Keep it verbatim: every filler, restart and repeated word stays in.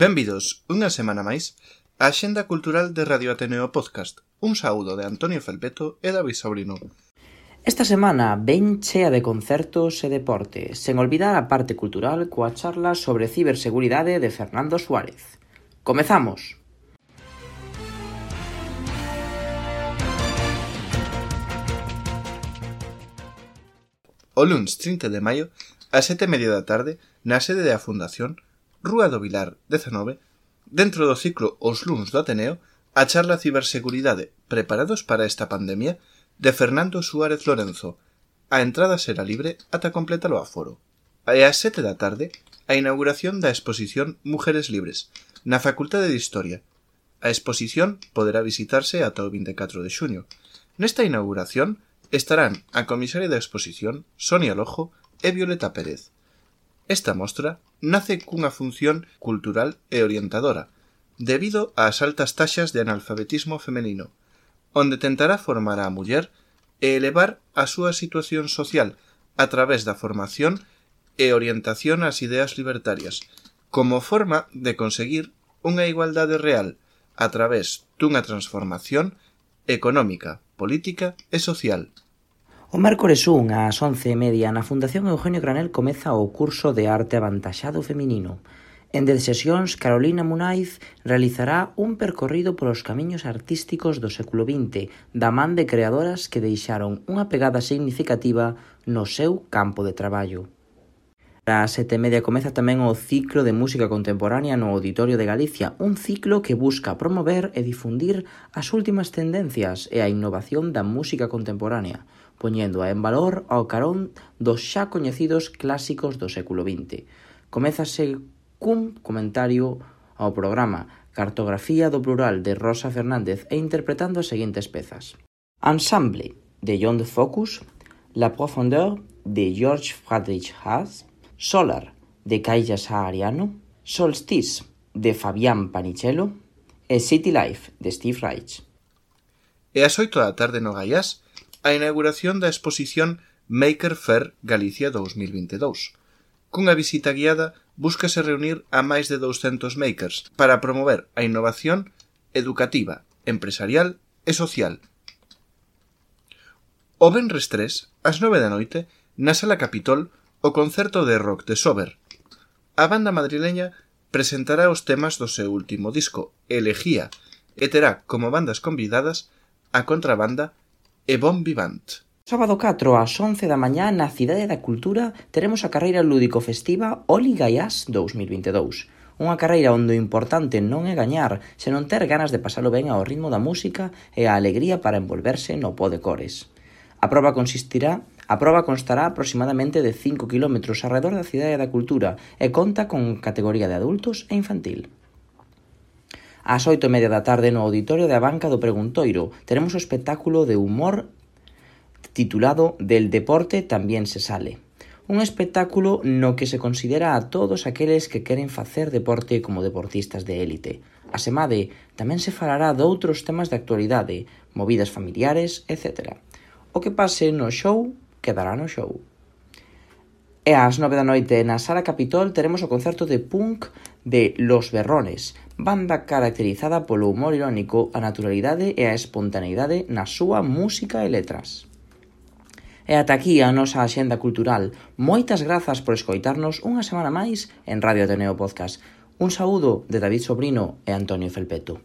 Benvidos unha semana máis á Axenda Cultural de Radio Ateneo Podcast. Un saúdo de Antonio Felpeto e David Sobrino. Esta semana ben chea de concertos e deporte, sen olvidar a parte cultural coa charla sobre ciberseguridade de Fernando Suárez. Comezamos! O luns trinta de maio, ás sete e media da tarde, na sede da Fundación, Rúa do Vilar dezanove, dentro do ciclo Os luns do Ateneo, a charla Ciberseguridade, preparados para esta pandemia, de Fernando Suárez Lorenzo. A entrada será libre ata completar o aforo. E ás sete da tarde, a inauguración da exposición Mujeres Libres, na Facultade de Historia. A exposición poderá visitarse ata o vinte e catro de xuño. Nesta inauguración estarán a comisaria da exposición Sonia Lojo e Violeta Pérez. Esta mostra nace cunha función cultural e orientadora, debido ás altas taxas de analfabetismo femenino, onde tentará formar á muller e elevar a súa situación social a través da formación e orientación ás ideas libertarias, como forma de conseguir unha igualdade real a través dunha transformación económica, política e social. O mércores un ás once e media na Fundación Eugenio Granel comeza o curso de arte avantaxado feminino. En dez sesións, Carolina Munaiz realizará un percorrido polos camiños artísticos do século vinte, da man de creadoras que deixaron unha pegada significativa no seu campo de traballo. Ás sete e media comeza tamén o ciclo de música contemporánea no Auditorio de Galicia, un ciclo que busca promover e difundir as últimas tendencias e a innovación da música contemporánea, poñendo en valor ao carón dos xa coñecidos clásicos do século vinte. Comézase cun comentario ao programa Cartografía do Plural de Rosa Fernández e interpretando as seguintes pezas: Ensemble, de John de Focus, La Profondeur, de George Friedrich Haas, Solar, de Kaija Saariano, Solstice, de Fabián Panichello e City Life, de Steve Reich. E ás oito da tarde no Gaiás, a inauguración da exposición Maker Fair Galicia dous mil vinte e dous. Cunha visita guiada, búscase reunir a máis de douscentos makers para promover a innovación educativa, empresarial e social. O venres tres, ás nove da noite, na Sala Capitol, o concerto de rock de Sober. A banda madrileña presentará os temas do seu último disco, Elegía, e terá como bandas convidadas a Contrabanda e Bon Vivant. Sábado catro ás once da mañá na Cidade da Cultura teremos a carreira lúdico festiva Oli Gaiás dous mil vinte e dous. Unha carreira onde o importante non é gañar, senón ter ganas de pasalo ben ao ritmo da música e a alegría para envolverse no pó de cores. A proba consistirá A proba constará aproximadamente de cinco kilómetros arredor da Cidade da Cultura e conta con categoría de adultos e infantil. Ás oito e media da tarde no Auditorio da Banca do Preguntoiro teremos o espectáculo de humor titulado Del deporte tamén se sale. Un espectáculo no que se considera a todos aqueles que queren facer deporte como deportistas de élite. Asemade, tamén se falará doutros temas de actualidade, movidas familiares, etcétera. O que pase no show quedará no show. E ás nove da noite na Sala Capitol teremos o concerto de punk de Los Berrones, banda caracterizada polo humor irónico, a naturalidade e a espontaneidade na súa música e letras. E ata aquí a nosa axenda cultural. Moitas grazas por escoitarnos unha semana máis en Radio Ateneo Podcast. Un saúdo de David Sobrino e Antonio Felpeto.